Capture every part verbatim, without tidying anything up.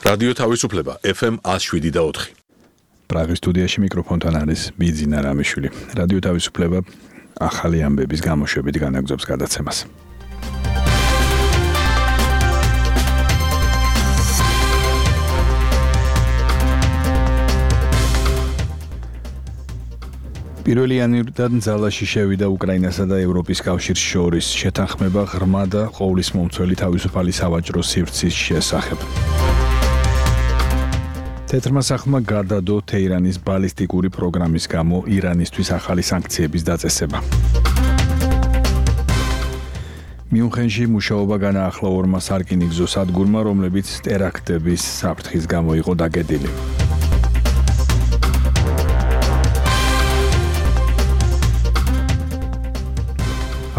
რადიო თავისუფლება ეფ ემ one oh seven და four. პრაღის სტუდიაში მიკროფონთან არის ბიძინა რამიშვილი. რადიო თავისუფლება ახალი ამბების გამოშვებით განაგრძობს გადაცემას. პირველი იანვრიდან ძალაში შევიდა უკრაინასა და ევროპის კავშირის შორის შეთანხმება ღრმა და ყოვლისმომცველი თავისუფალი სავაჭრო სივრცის შესახებ. თეთრმა სახლმა გადადო თეირანის ბალისტიკური პროგრამის გამო ირანისთვის ახალი სანქციების დაწესება. მიუნხენში მუშაობა განაახლა ორმა სარკინიგზო სადგურმა, რომლებიც ტერაქტების საფრთხის გამო იყო დაგედილი.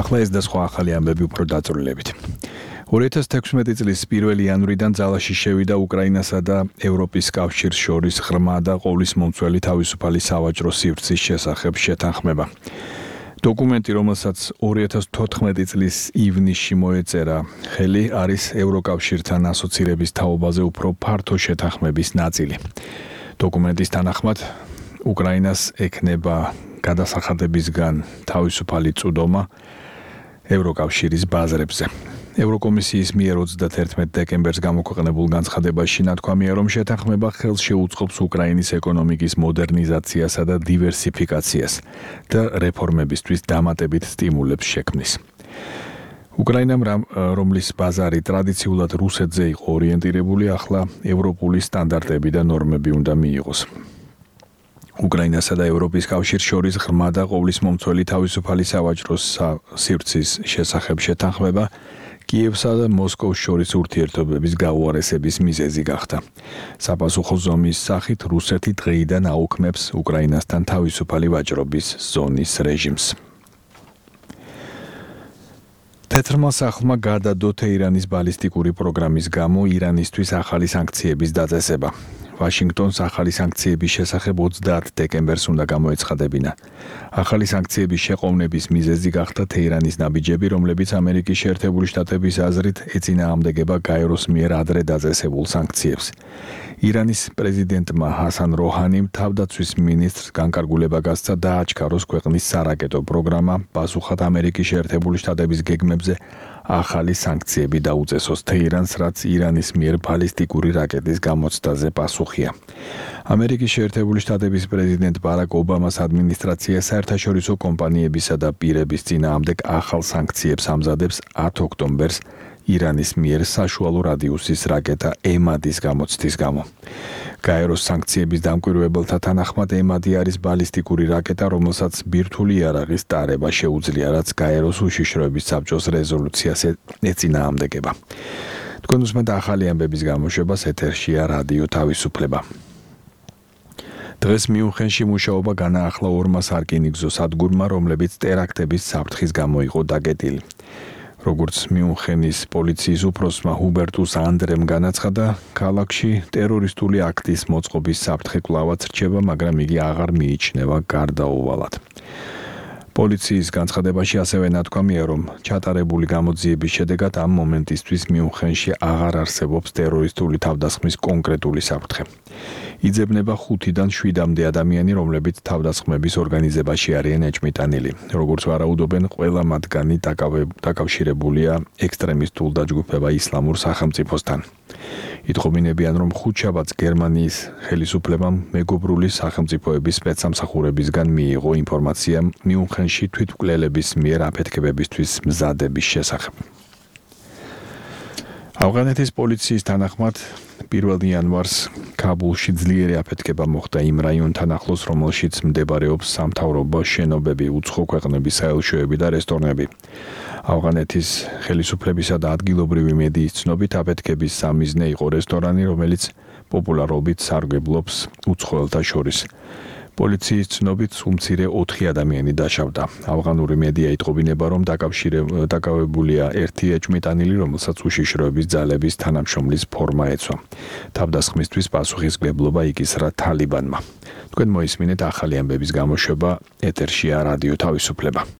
ახლა ეს და სხვა ახალი ამბები უფრო დაწვრილებით. ორი ათას თექვსმეტი წლის პირველი იანვრიდან ძალაში შევიდა უკრაინასა და ევროპის კავშირის შორის ღრმა და ყოვლისმომცველი თავისუფალი სავაჭრო სივრცის შესახებ შეთანხმება. დოკუმენტი, რომელსაც ორი ათას თოთხმეტი წლის ივნისში მოეწერა ხელი, არის ევროკავშირთან ასოცირების თაობაზე უფრო ფართო შეთანხმების ნაწილი. დოკუმენტის თანახმად უკრაინას ექნება გადასახადებისგან თავისუფალი წვდომა ევროკავშირის ბაზრებზე. ევროკომისიის მიერ ოცდაათერთმეტი დეკემბერს გამოქვეყნებულ განცხადებაში ნათქვამია, რომ შეთანხმება ხელს შეუწყობს უკრაინის ეკონომიკის მოდერნიზაციასა და დივერსიფიკაციას და რეფორმებისთვის დამატებით სტიმულებს შექმნის. უკრაინამ, რომლის ბაზარი ტრადიციულად რუსეთზე იყო ორიენტირებული, ახლა ევროპული სტანდარტები და ნორმები უნდა მიიღოს. უკრაინასა და ევროპის კავშირის შორის ღრმა და ყოვლისმომცველი თავისუფალი სავაჭრო სივრცის შესახებ შეთანხმება კიევსა და მოსკოვს შორის ურთიერთობების გაუარესების მიზეზი გახდა. საპასუხო ზომის სახით რუსეთი დღეიდან აუქმებს უკრაინასთან თავისუფალი ვაჭრობის ზონის რეჟიმს. თეთრმა სახლმა გადადო თეირანის ბალისტიკური პროგრამის გამო ირანისთვის ახალი სანქციების დაწესება. ვაშინგტონს ახალი სანქციების შესახებ ოცდაათ დეკემბერს უნდა გამოეცხადებინა. ახალი სანქციების შეყოვნების მიზეზი გახდა თეირანის ნაბიჯები, რომლებიც ამერიკის შეერთებული შტატების აზრით ეწინააღმდეგება გაეროს მიერ ადრე დაწესებულ სანქციებს. ირანის პრეზიდენტმა ჰასან როჰანიმ თავდაცვის მინისტრს განკარგულება გასცა დააჩქაროს ქვეყნის სარაკეტო პროგრამა, პასუხად ამერიკის შეერთებული შტატების გეგმებზე ახალი სანქციები დაუწესოს თეირანს, რაც ირანის მიერ ბალისტიკური რაკეტის გამოცდაზე პასუხია. ამერიკის შეერთებული შტატების პრეზიდენტ ბარაკ ობამას ადმინისტრაცია საერთაშორისო კომპანიებისა და პირების წინააღმდეგ ახალ სანქციებს ამზადებს ათ ოქტომბერს ირანის მიერ საშუალო რადიუსის რაკეტა ემადის გამოცდის გამო. გაეროს სანქციების დამკვირვებელთა თანახმად ემადი არის ბალისტიკური რაკეტა, რომელსაც ბირთვული იარაღის ტარება შეუძლია, რაც გაეროს უშიშროების საბჭოს რეზოლუციას ეწინააღმდეგება. თქვენ უსმენთ ახალი ამბების გამოშვებას, ეთერშია რადიო თავისუფლება. დღეს მიუნხენში მუშაობა განაახლა ორმა სარკინიგზო სადგურმა, რომლებიც ტერაქტების საფრთხის გამო იყო დაგედილი. როგორც მიუნხენის პოლიციის უფროსმა ჰუბერტუს ანდრემ განაცხადა, ქალაქში ტერორისტული აქტის მოწყობის საფრთხე კვლავაც რჩება, მაგრამ იგი აღარ მიიჩნევა გარდაუვალად. პოლიციის განცხადებაში ასევე ნათქვამია, რომ ჩატარებული გამოძიების შედეგად ამ მომენტისთვის მიუნხენში აღარ არსებობს ტერორისტული თავდასხმის კონკრეტული საფრთხე. იძებნება ხუთიდან შვიდამდე ადამიანი, რომლებიც თავდასხმების ორგანიზებაში არიან ეჭმიტანილი. როგორც ვარაუდობენ, ყველა მათგანი დაკავშირებულია ექსტრემისტულ დაჯგუფება ისლამურ სახელმწიფოსთან. იტყობინებიან, რომ ხუთშაბათს გერმანიის ხელისუფლებამ მეგობრული სახელმწიფოების სპეცსამსახურებისგან მიიღო ინფორმაცია მიუნხენში თვითმკვლელების მიერ აფეთქებებისთვის მზადების შესახებ. ავღანეთის პოლიციის თანახმად პირველ იანვარს ქაბულში ძლიერი აფეთქება მოხდა იმ რაიონთან ახლოს, რომელშიც მდებარეობს სამთავრობო შენობები, უცხო ქვეყნების საელჩოები და რესტორნები. ავღანეთის ხელისუფლებისა და ადგილობრივი მედიის ცნობით აფეთქების სამიზნე იყო რესტორანი, რომელიც პოპულარობით სარგებლობს უცხოელთა შორის. პოლიციის ცნობით უმცირე ოთხი ადამიანი დაშავდა. ავღანური მედია იტყობინება, რომ დაკავებულია ერთი ეჭმიტანილი, რომელსაც უშიშროების ძალების თანამშრომლის ფორმა ეცვა. თავდასხმისთვის პასუხისმგებლობა იკისრა თალიბანმა. თქვენ მოისმინეთ ახალი ამბების გამოშვება, ეთერშია რადიო თავისუფლება.